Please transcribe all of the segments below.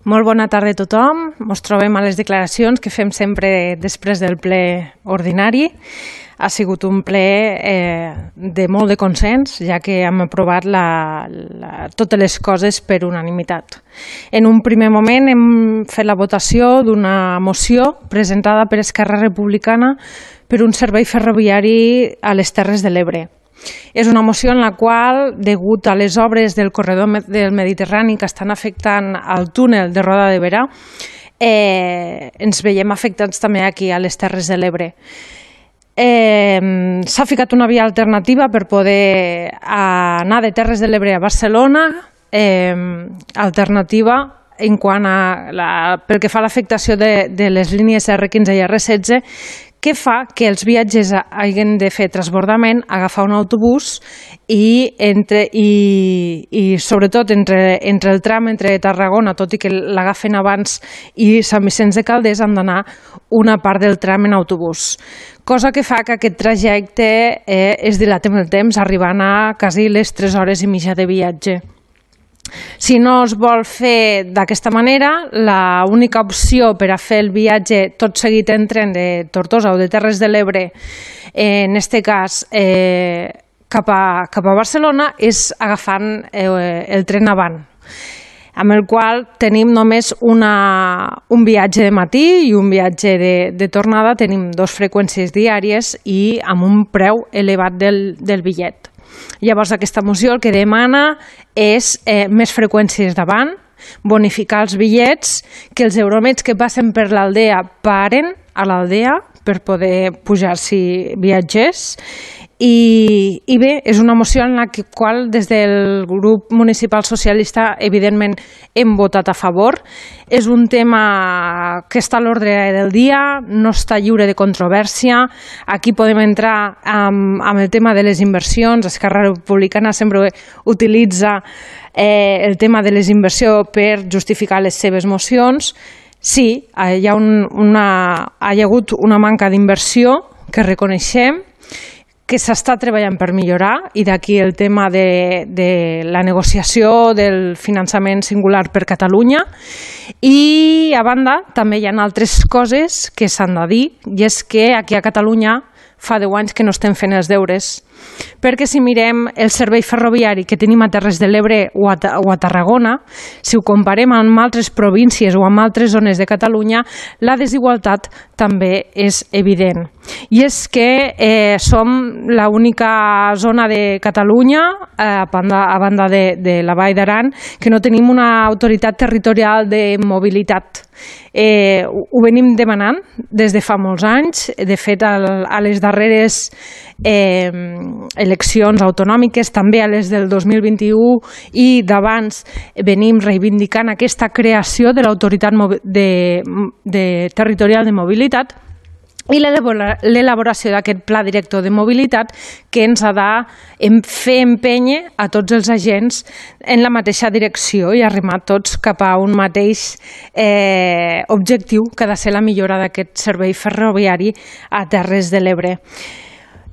Molt bona tarda a tothom. Ens trobem a les declaracions que fem sempre després del ple ordinari. Ha sigut un ple de molt de consens, ja que hem aprovat totes les coses per unanimitat. En un primer moment hem fet la votació d'una moció presentada per Esquerra Republicana per un servei ferroviari a les Terres de l'Ebre. És una moció en la qual, degut a les obres del corredor del Mediterrani que estan afectant el túnel de Roda de Berà, ens veiem afectats també aquí a les Terres de l'Ebre. S'ha ficat una via alternativa per poder anar de Terres de l'Ebre a Barcelona, alternativa en quant a pel que fa a l'afectació de les línies R15 i R16, que fa que els viatgers hagin de fer transbordament, agafar un autobús i sobretot entre el tram entre Tarragona, tot i que l'agafen abans, i Sant Vicenç de Calders, han d'anar una part del tram en autobús. Cosa que fa que aquest trajecte es dilati en el temps, arribant a quasi les 3 hores i mitja de viatge. Si no es vol fer d'aquesta manera, l'única opció per a fer el viatge tot seguit en tren de Tortosa o de Terres de l'Ebre, en aquest cas cap a Barcelona, és agafant el tren avant, amb el qual tenim només un viatge de matí i un viatge de tornada. Tenim 2 freqüències diàries i amb un preu elevat del bitllet. Llavors, aquesta moció el que demana és més freqüències d'avant, bonificar els bitllets, que els euromets que passen per l'Aldea paren a l'Aldea per poder pujar-s'hi viatgers. I bé, és una moció en la qual des del grup municipal socialista evidentment hem votat a favor. És un tema que està a l'ordre del dia, no està lliure de controvèrsia. Aquí podem entrar amb el tema de les inversions. Esquerra Republicana sempre utilitza el tema de les inversions per justificar les seves mocions. Sí, hi ha hagut una manca d'inversió que reconeixem, que s'està treballant per millorar, i d'aquí el tema de la negociació del finançament singular per Catalunya. I a banda també hi ha altres coses que s'han de dir, i és que aquí a Catalunya fa 10 anys que no estem fent els deures, perquè si mirem el servei ferroviari que tenim a Terres de l'Ebre o a Tarragona, si ho comparem amb altres províncies o amb altres zones de Catalunya, la desigualtat també és evident. I és que som l'única zona de Catalunya, a banda de la Vall d'Aran, que no tenim una autoritat territorial de mobilitat. Ho venim demanant des de fa molts anys. De fet, a les darreres eleccions autonòmiques, també a les del 2021 i d'abans, venim reivindicant aquesta creació de l'autoritat territorial de mobilitat i l'elaboració d'aquest pla director de mobilitat que ens ha de fer empènyer a tots els agents en la mateixa direcció i arribar tots cap a un mateix objectiu, que ha de ser la millora d'aquest servei ferroviari a Terres de l'Ebre.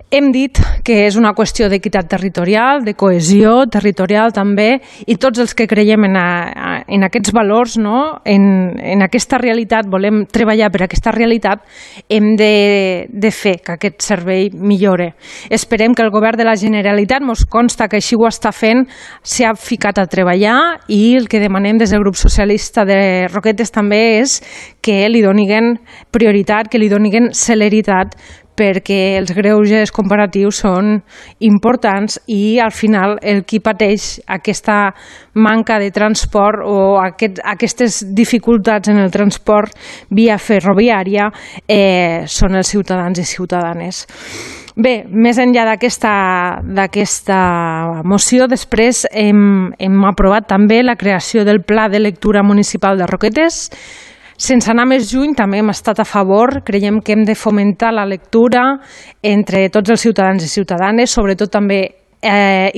Hem dit que és una qüestió d'equitat territorial, de cohesió territorial també, i tots els que creiem en aquests valors, en aquesta realitat, volem treballar per aquesta realitat, hem de fer que aquest servei millore. Esperem que el govern de la Generalitat, ens consta que així ho està fent, s'ha ficat a treballar, i el que demanem des del grup socialista de Roquetes també és que li donin prioritat, que li donin celeritat, perquè els greuges comparatius són importants i al final el qui pateix aquesta manca de transport o aquestes dificultats en el transport via ferroviària són els ciutadans i ciutadanes. Bé, més enllà d'aquesta moció, després hem aprovat també la creació del Pla de Lectura Municipal de Roquetes. Sense anar més lluny, també hem estat a favor. Creiem que hem de fomentar la lectura entre tots els ciutadans i ciutadanes, sobretot també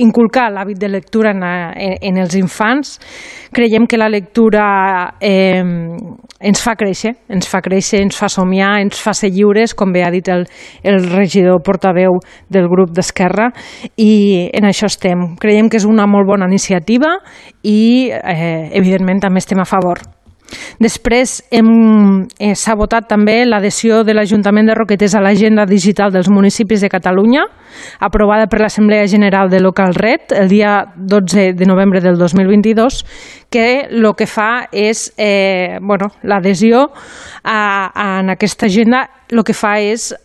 inculcar l'hàbit de lectura en els infants. Creiem que la lectura ens fa créixer, ens fa somiar, ens fa ser lliures, com bé ha dit el regidor portaveu del grup d'Esquerra, i en això estem. Creiem que és una molt bona iniciativa i, evidentment, també estem a favor. Després s'ha votat també l'adhesió de l'Ajuntament de Roquetes a l'Agenda Digital dels Municipis de Catalunya, aprovada per l'Assemblea General de Localret el dia 12 de novembre del 2022, que el que fa és, l'adhesió en aquesta agenda, el que fa és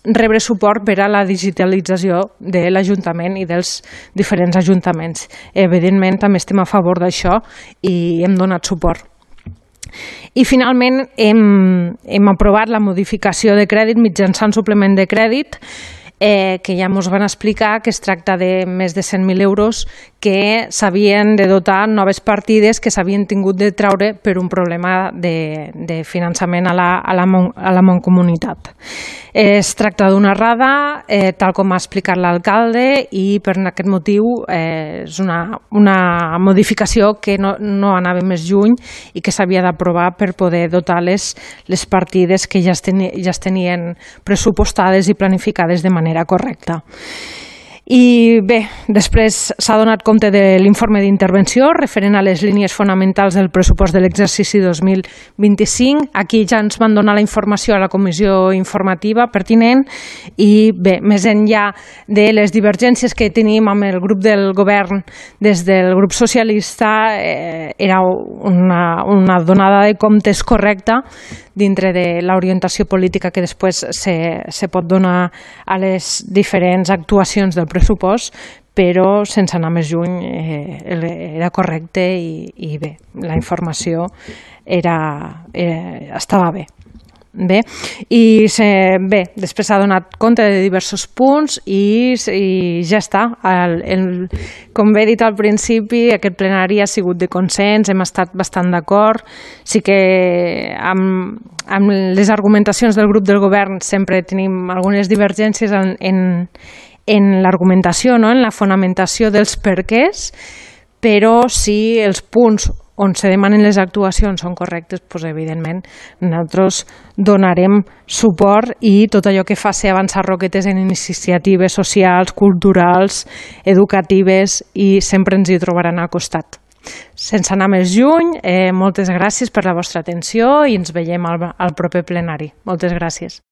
rebre suport per a la digitalització de l'Ajuntament i dels diferents ajuntaments. Evidentment, també estem a favor d'això i hem donat suport. I finalment hem aprovat la modificació de crèdit mitjançant suplement de crèdit, que ja ens van explicar que es tracta de més de 100.000 euros que s'havien de dotar noves partides que s'havien tingut de treure per un problema de finançament a la Mancomunitat. Es tracta d'una errada, tal com ha explicat l'alcalde, i per aquest motiu és una modificació que no anava més lluny i que s'havia d'aprovar per poder dotar les partides que ja es tenien pressupostades i planificades de manera correcta. I bé, després s'ha donat compte de l'informe d'intervenció referent a les línies fonamentals del pressupost de l'exercici 2025. Aquí ja ens van donar la informació a la comissió informativa pertinent i bé, més enllà de les divergències que tenim amb el grup del govern des del grup socialista, era una donada de comptes correcta dintre de l'orientació política que després se pot donar a les diferents actuacions del pressupost, però sense anar més lluny era correcte i bé, la informació estava bé. Després s'ha donat compte de diversos punts i ja està. Com bé he dit al principi, aquest plenari ha sigut de consens, hem estat bastant d'acord. Sí que amb les argumentacions del grup del govern sempre tenim algunes divergències en l'argumentació, en la fonamentació dels perquès, però si els punts on se demanen les actuacions són correctes, doncs evidentment nosaltres donarem suport i tot allò que faci avançar Roquetes en iniciatives socials, culturals, educatives, i sempre ens hi trobaran al costat. Sense anar més lluny, moltes gràcies per la vostra atenció i ens veiem al proper plenari. Moltes gràcies.